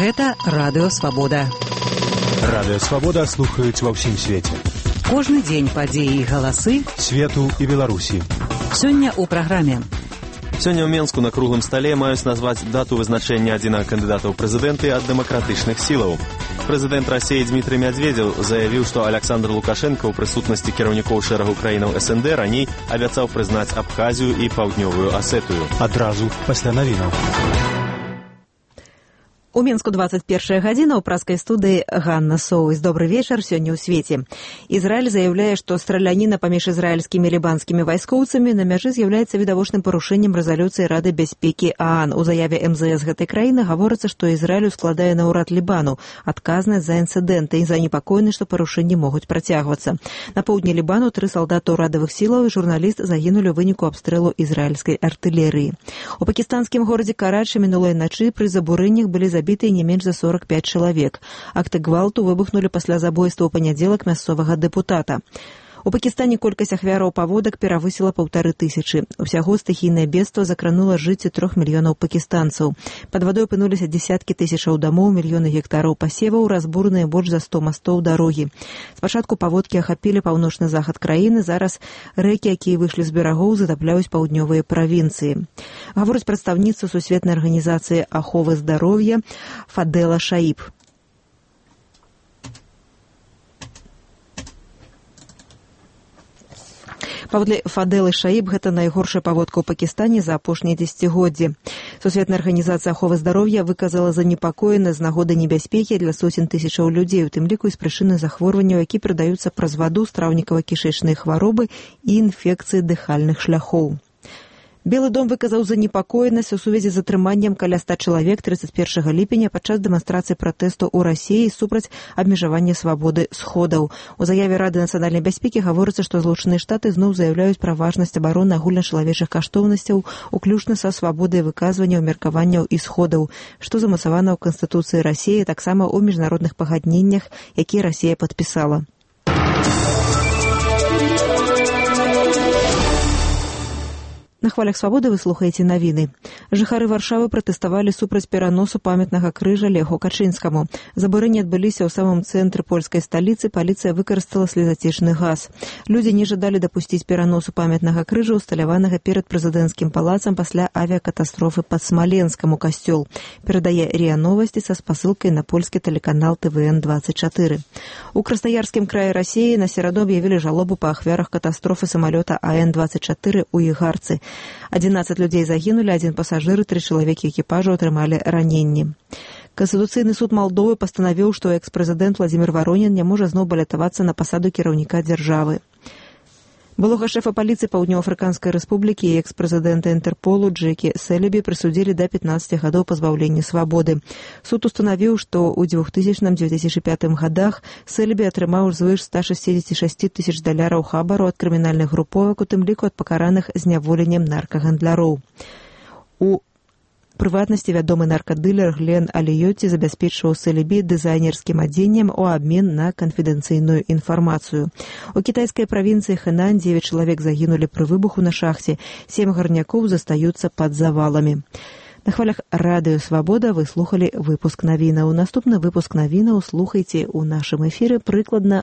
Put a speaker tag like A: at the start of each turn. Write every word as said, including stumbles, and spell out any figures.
A: Гэта Радыё Свабода.
B: Радыё Свабода слухаюць ва ўсім свеце.
A: Кожны дзень падзеі і галасы
B: свету і Беларусі.
A: Сёння ў праграме.
C: Сёння ў Менску на круглым стале маюць назваць дату вызначэння адзінага кандыдата ў прэзідэнты ад дэмакратычных сілаў. Прэзідэнт Расіі Дмітрый Мядзведзеў заявіў, што Александр Лукашенко ў прысутнасці кіраўнікоў шэрагу краінаў эс эн дэ раней абяцаў прызнаць Абхазію і Паўднёвую Асетыю.
B: Адразу пасля навінаў.
D: У Мінску двадцать первая гадзіна, ў праскай студыі Ганна Соўвыс. Добры вечар, сёння ў свеце. Ізраіль заяўляе, што страляніна паміж ізраільскімі і лібанскімі вайскоўцамі на мяжы з'яўляецца відавочным парушэннем рэзалюцыі Рады бяспекі ААН. У заяве эм зэ эс гэтай краіны гаворыцца, што Ізраілю складае на ўрад Лібану адказнасць за інцыдэнты і занепакоены, што парушэнні могуць працягвацца. На поўдні Лібану тры салдаты ўрадавых сілаў і журналіст загінулі ў выніку абстрэлу ізраільскай артылерыі. У пакістанскім горадзе Карачы мінулай начы пры забурэннях былі забітыя не менш за сорок пять чалавек. Акты гвалту выбухнулі пасля забойства ў панядзелак мясцовага дэпутата. У Пакістане колькасць ахвяраў паводак перавысіла паўтары тысячы. Усяго стыхійнае бедства закранула жыццё трох мільёнаў пакістанцаў. Пад вадой апынуліся дзесяткі тысячаў дамоў, мільёны гектараў пасеваў, разбураныя больш за сто мастоў дарогі. Спачатку паводкі ахапілі паўночны захад краіны, зараз рэкі, якія выйшлі з берагоў, затапляюць паўднёвыя правінцыі. Гаворыць прадстаўніца Сусветнай арганізацыі аховы здароўя Фадэла Шаіб. Паводле Фадэлы Шаіб, гэта найгоршая паводка ў Пакістане за апошнія дзесяцігоддзі. Сусветная арганізацыя аховы здароўя выказала занепакоенасць з нагоды небяспекі для сотень тысячаў людзей, у тым ліку і з прычыны захворванняў, які перадаюцца праз ваду, страўнікава-кішэчныя хваробы і інфекцыі дыхальных шляхоў. Белы дом выказаў занепакоенасць у сувязі з затрыманнем каля ста чалавек трыццаць першага ліпеня падчас дэманстрацыі пратэсту ў Расіі супраць абмежавання свабоды сходаў. У заяве Рады нацыянальнай бяспекі гаворыцца, што Злучаныя Штаты зноў заяўляюць пра важнасць абароны агульначалавечых каштоўнасцяў, уключна са свабодай выказвання, меркаванняў і сходаў, што замацавана ў Канстытуцыі Расіі, таксама ў міжнародных пагадненнях, якія Расія падпісала. На хвалях свабоды вы слухаеце навіны. Жыхары Варшавы пратэставалі супраць пераносу памятнага крыжа Леху Качынскаму. Забурэнні адбыліся ў самым цэнтры польскай сталіцы, паліцыя выкарыстала слезацечны газ. Людзі не жадалі дапусціць пераносу памятнага крыжа, усталяванага перад прэзідэнцкім палацам пасля авіякатастрофы пад Смаленскам у касцёл. Перадае РИА Новасці са спасылкай на польскі тэлеканал тэ вэ эн двадцать чатыры. У Краснаярскім краі Расіі на сераду аб'явілі жалобу па ахвярах катастрофы самалёта А Н двадцать чатыры ў Ігарцы. адзінаццаць людзей загінулі, адзін пасажыр і тры чалавекі экіпажу атрымалі раненні. Канстытуцыйны суд Малдовы пастанавіў, што экс-прэзідэнт Владзімір Варонін не можа зноў балятавацца на пасаду кіраўніка дзяржавы. Былога шэфа паліцыі Паўднёва-Афрыканскай рэспублікі і экс-прэзідэнта Інтэрполу Джекі Селебі прысудзілі да пятнаццаці гадоў пазбаўлення свабоды. Суд устанавіў, што ў двухтысячным - дзве тысячы пятым гадах Селебі атрымаў звыш ста шэсцьдзесят шэсць тысяч даляраў хабару ад крымінальных груповак, у тым ліку ад пакараных зняволеннем наркагандляроў. У прыватнасці вядомы наркадылер Глен Аліёці забяспечваў Селебі дызайнерскім адзеннем у абмен на канфідэнцыйную інфармацыю. У кітайскай правінцыі Хэнань дзевяць чалавек загінулі пры выбуху на шахце, сем гарнякоў застаюцца пад заваламі. На хвалях Радыё Свабода вы слухалі выпуск навінаў. Наступны выпуск навінаў слухайце ў нашым эфіры прыкладна